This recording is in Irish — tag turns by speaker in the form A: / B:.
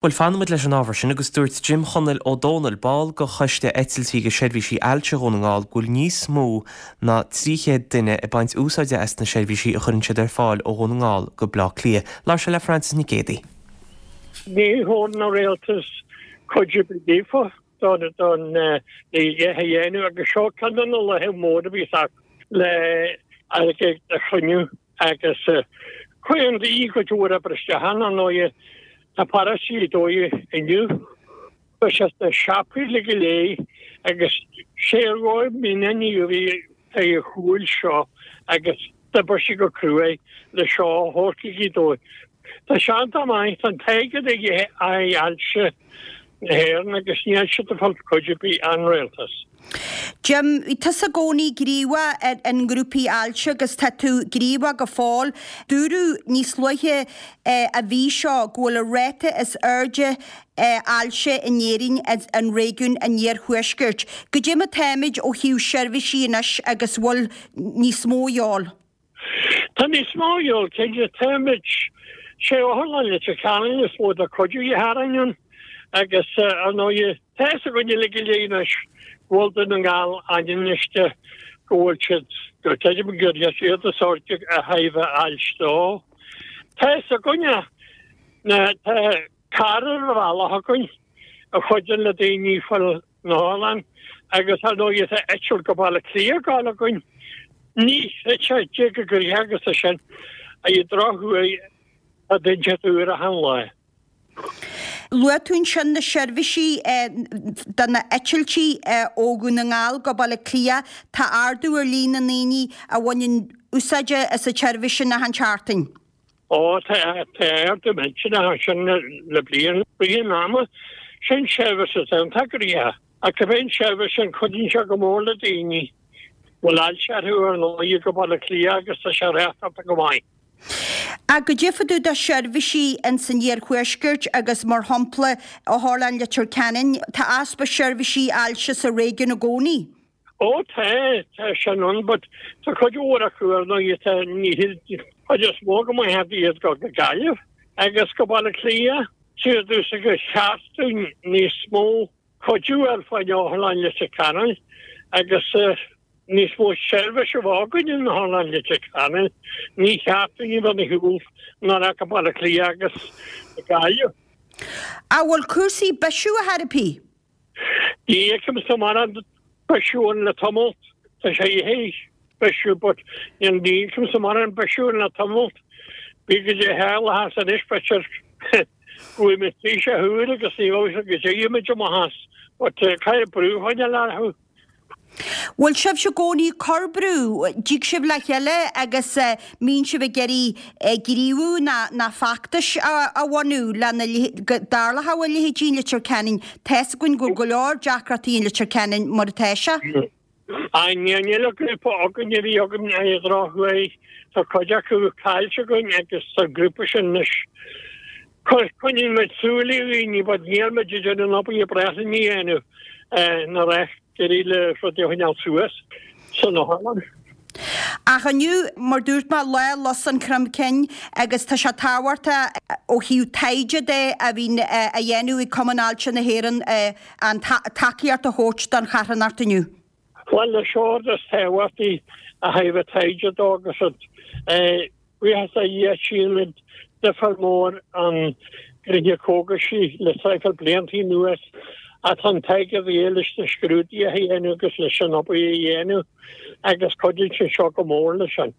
A: Bhuel, fanfaimid leis an ábhar sin agus dúirt Jim Chonaill Ó Dónaill, ball de Choiste Eitiltí agus Seirbhísí Ailse Dhún na nGall, go bhfuil níos mó ná 300 duine ag baint úsáide as na seirbhísí a chuireann siad ar fáil ó Dhún na nGall go Bleá Cliath. Labhair sé le Frances Nic Géadaigh.
B: Ní thabharann an rialtas cuidiú ar bith daofa don don le a dhéanamh agus seo ceann de na laethe móra a bhíos acu le airgead a chruinniú. Agus cuireann daoine cuid mhór oibre isteach ann, ar ndóighe. Tá paráistí ag dóigh inniu. Tá sé sna siopaí uilig go léir agus sé a dhóigh mionnaí a bhí ar a chúil seo agus d'oibir sí go cruaidh le seo a thabhairt go Gaoth Dobhair. Tá sé iontach maith, tá an t-airgead ag Ailse na hÉireann agus níl siad ag fáil cuidiú ar bith ón rialtas.
C: Jim, bhí tusa i gcónaí gníomhach i ngrúpaí ailse agus tá tú gníomhach go fóill. Dúradh níos luaithe an mhí seo go bhfuil an ráta is airde ailse in Éirinn in réigiún an iarthuaiscirt. Goidé mar táimid ó thaobh seirbhísí anois agus bhfuil níos mó a dhíobháil?
B: Tá níos mó a dhíobháil, cinnte. Táimid, sé Otharlann Leitir Ceanainn is mó de chuidiú a tharraing ann agus, ar ndóighe, tá fhios againn uilig go léir anois go bhfuil Dún na nGall ainmniste go bhfuil siad, go creidim gur iad is airde ó thaobh ailse dó. Tá fhios againne na, tá carr ar an bhealach againn a chuidíonn le daoine fáil na hOtharlann agus ar ndóighe tá eitilt go Baile Átha Cliath ag gabháil againn. Ní thit sé go gnoitheach agus é sin ar an drochuair tá duine inteacht úr achan lá.
C: Luaigh tú ansin na seirbhísí do na eitiltí ó Dhún na nGall go Baile Átha Cliath. Tá ardú ar líon na ndaoine a bhaineann úsáid as an tseirbhís sin achan tseachtain.
B: Ó, tá ardú millteanach ansin le bliain. Rith an ama, sin seirbhís atá iontach gnoitheach. Ach cibé an seirbhís sin, cuidíonn sé go mór le daoine a bhfuil ailse orthu ar ndóigh go Baile Átha Cliath agus tá sé reáchtáilte go maith.
C: Ach goidé fá dtaobh de sheirbhísí ins an iarthuaisceart agus mar shampla Otharlann Leitir Ceanainn, tá easpa seirbhísí ailse sa réigiún i gcónaí.
B: Ó tá, tá sin ann but tá cuid mhór acu ar ndóigh tá ní chuid is mó go maith iad go go Gaillimh agus go Baile Átha Cliath. Siar dtús gur cheart dúinn níos mó cuidiú ar fáil Otharlann Leitir Ceanainn agus níos mó seirbhís a bheith againn in Otharlann Leitir Ceanainn. Ní cheart dúinn a bheith ar shiúl ná go Baile Átha Cliath agus Gaillimh.
C: An bhfuil cúrsaí bisiú a therapy?
B: Ní fheicimse mórán bisiú ann le tamall. Tá sé théis bisiú but ní fheicimse mórán bisiú ann le tamall. Bí go dtí tharla as anois b'fhéidir go bhfuil muid tríos a thuair agus ní bheadh go dtéigh muid amach as but caithfidh brú a choinneáil orthu.
C: Bhfuil sibhse i gcónaí ag cur brú? Dtig sibh le chéile agus mbíonn sibh ag iarraidh gníomhú ná feachtais a bhunú lena go dtarlódh a leithéidí in Leitir Ceanainn? Tá's againn go bhfuil go leor deacrachtaí in Leitir Ceanainn mar atá sé.
B: Aye, níl an grúpa againn a bhí againn ar an drochuair. Tá cuid acu caillte againn agus tá an grúpa sin anois. Coinníonn muid súil ar dhaoine but níl muid ag déanamh an obair ba bhreá linn a dhéanamh ná ag iarraidh le rudaí a choinneáil suas san otharlann.
C: Ach inniu, mar dúirt mé, lá Lus an Chromchinn agus tá sé tábhachtach ó thaobh taighde de a bhíonn á dhéanamh ag Cumann Ailse na hÉireann an tacaíocht a thabhairt don charthanacht inniu.
B: Bhuel, is é an rud is tábhachtaí ó thaobh taighde dó agus an buíochas a Dhia tchímid difear mór an gnoithe cógaisí le traidhfil blianta anuas ach tá an t-airgead a dhíth leis na scrúduithe a dhéanamh agus leis an obair a dhéanamh agus cuidíonn sé seo go mór leis sin.